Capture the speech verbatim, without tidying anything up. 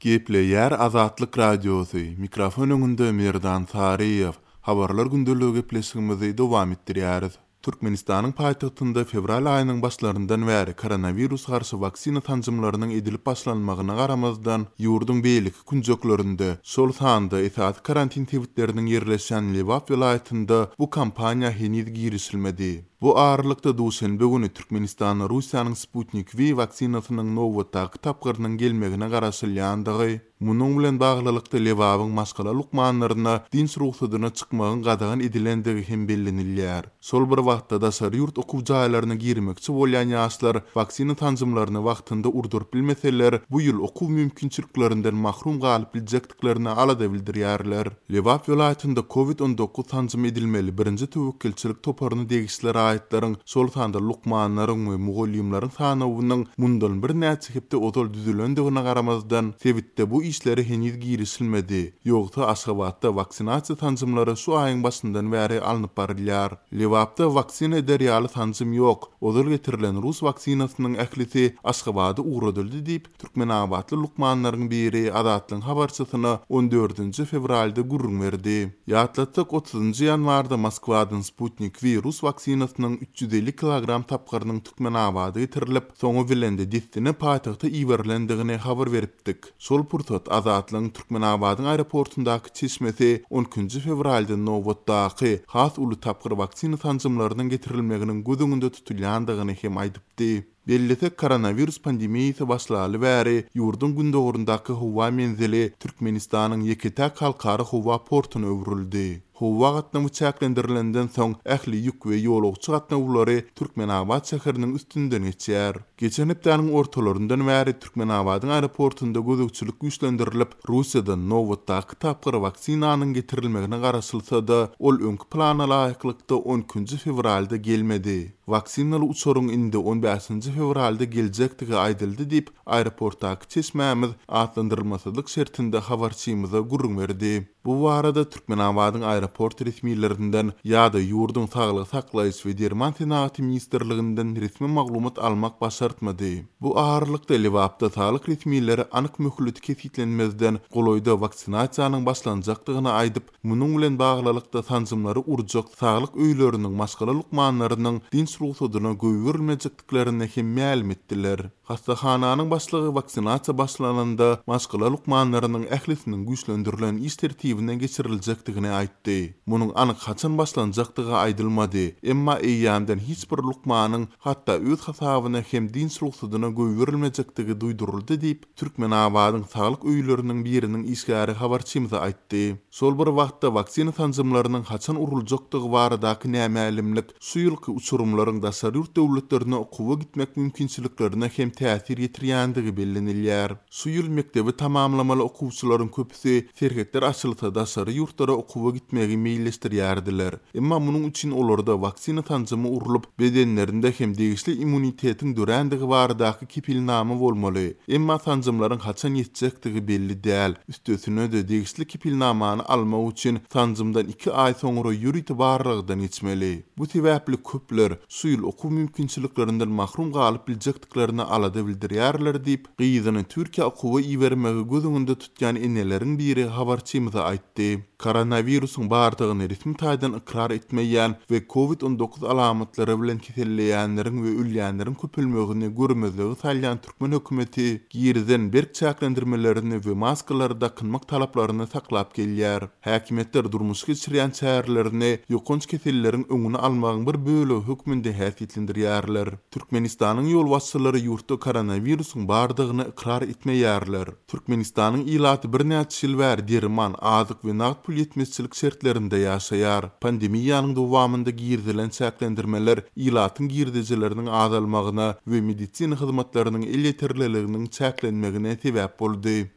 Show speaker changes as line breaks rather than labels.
Gepleýär Azatlyk Radiosy, mikrofon öňünde Merdan Saryýew. Habarlar gündeligi gepleşigimizi dowam etdirýäris. Türkmenistanyň paýtagtynda fewral aýynyň başlaryndan bäri koronawirus garşy waksina sanjymlarynyň edilip başlanmagyna garamazdan, ýurduň beýleki künjeklerinde, şol sanda esasy karantin sebitleriniň ýerleşýän Lebap welaýatynda bu kampaniýa heniz girişilmedi. Bu aralykda duşenbe güni Türkmenistana Russiýanyň Sputnik V waksinasynyň nobatdaky tapgyrynyň gelmegine garaşylýandygy, munuň bilen baglylykda Lebabyň maşgala lukmanlaryna dynç rugsadyna çykmagyň gadagan edilendigi hem bellenilýär. Şol bir wagtda daşary ýurt okuw jaýlaryna girmekçi bolýan ýaşlar waksina sanjymlaryny wagtynda urduryp bilmeseler, bu ýyl okuw mümkinçiliklerinden mahrum galyp biljekdiklerine alada bildirýärler. Lebap welaýatynda Covid on dokuz sanjym edilmeli birinji töwekgelçilik toparyna degişli raýatlaryň, şol sanda lukmanlaryň we mugallymlaryň sanawynyň mundan birnäçe hepde ozal düzülendigine garamazdan, sebitde bu işlere heniz girişilmedi. Ýogsa Aşgabatda waksinasiýa sanjymlary şu aýyň başyndan bäri alnyp barylýar. Lebapda waksina eder ýaly sanjym ýok. Ozal getirilen rus waksinasynyň ählisi Aşgabada ugradyldy diýip, Türkmenabatly lukmanlaryň biri Azatlygyň habarçysyna on dördünji fewralda gürrüň berdi. Ýatlatsak, otuzynjy ýanwarda Moskwadan Sputnik V rus waksinasynyň üç ýüz elli kilogram tapgyrynyň Türkmenabada getirilip, soňy bilen de dessine paýtagta iberilendigini habar beripdik. Şol pursat Azatlygyň Türkmenabadyň aeroportundaky çeşmesi on ikinji fewralda nobatdaky has uly tapgyr waksina sanjymlarynyň getirilmeginiň göz öňünde tutulýandygyny hem aýdypdy. Bellesek, koronawirus pandemiýasy başlaly bäri ýurduň gündogaryndaky howa menzili Türkmenistanyň ýeke-täk halkara howa portuna öwrüldi. Howa gatnawy çäklendirilenden soň ähli ýük we ýolagçy gatnawlary Türkmenabat şäheriniň üstünden geçýär. Geçen hepdäniň ortalaryndan bäri Türkmenabadyň aeroportunda gözegçilik güýçlendirilip, Russiýadan nobatdaky tapgyr waksinanyň getirilmegine garaşylsa-da, ol öňki plana laýyklykda on ikinji fewralda gelmedi. Waksinaly uçaryň indi on bäşinji fewralda geljekdigi aýdyldy diýip, aeroportdaky çeşmämiz atlandyrylmasyzlyk şertinde habarçymyza gürrüň berdi. Bu barada Türkmenabadyň aeroport resmilerinden ýa-da ýurduň saglygy saklaýyş we derman senagaty ministrliginden resmi maglumat almak başartmady. Bu aralykda Lebapda saglyk resmileri anyk möhleti kesgitlenmezden golaýda waksinasiýanyň başlanjakdygyny aýdyp, munuň bilen baglylykda sanjymlary urjak saglyk öýleriniň maşgala lukmanlarynyň dynç rugsadyna goýberilmejekdiklerini hem mälim etdiler. Hastahananyň başlygy waksinasiýa başlananda maşgala lukmanlarynyň ählisiniň güýçlendirilen iş tertibine geçiriljekdigini aýtdy. Munuň anyk haçan başlanjakdygy aýdylmady. Emma eýýämden hiç bir lukmanyň hatda öz hasabyna hem dynç rugsadyna goýberilmejekdigi duýduryldy diýip, Türkmenabadyň saglyk öýleriniň biriniň işgäri habarçymyza aýtdy. Şol bir wagtda waksina sanjymlarynyň haçan uruljakdygy baradaky nämälimlik şu ýylky uçurymlaryň daşary ýurt döwletlerine okuwa gitmek mümkinçiliklerine hem täsir ýetirýändigi bellenilýär. Şu ýyl mekdebi tamamlamaly okuwçylaryň köpüsi serhetler açylsa daşary ýurtlara okuwa gitmegi meýilleşdirýärdiler. Emma munuň üçin olarda waksina sanjymy urlup, bedenlerinde hem degişli immunitetiň dörändigi baradaky kepilnama bolmaly. Emma sanjymlaryň haçan ýetjekdigi belli däl. Üstesine-de degişli kepilnamany almak üçin sanjymdan iki aý soňra ýörite barlagdan geçmeli. Bu sebäpli köpler şu ýyl okuw mümkinçiliklerinden mahrum galyp biljekdiklerini alada bildirýärler diýip, gyzyny Türkiýä okuwa ibermegi göz öňünde tutýan eneleriň biri habarçymyza aýtdy. Koronawirusyň bardygyny resmi taýdan ykrar etmeýän we Covid on dokuz alamatlary bilen keselleýänleriň we ölýänleriň köpelmegini görmezligi salýan türkmen hökümeti girizen berk çäklendirmelerini we maskalary dakynmak talaplaryny saklap gelýär. Häkimiýetler durmuş geçirýän çärelerini ýokanç keselleriň öňüni almagyň bir bölegi hökmünde häsiýetlendirýärler. Türkmenistanyň ýolbaşçylary ýurtda koronawirusyň bardygyny ykrar etmeýärler. Türkmenistanyň ilaty birnäçe ýyl bäri derman, azyk we nagt pul ýetmezçilik şertlerinde ýaşaýar. Pandemiýanyň dowamynda girizilen çäklendirmeler ilatyň girdejileriniň azalmagyna we medisina hyzmatlarynyň elýeterliliginiň çäklenmegine sebäp boldy.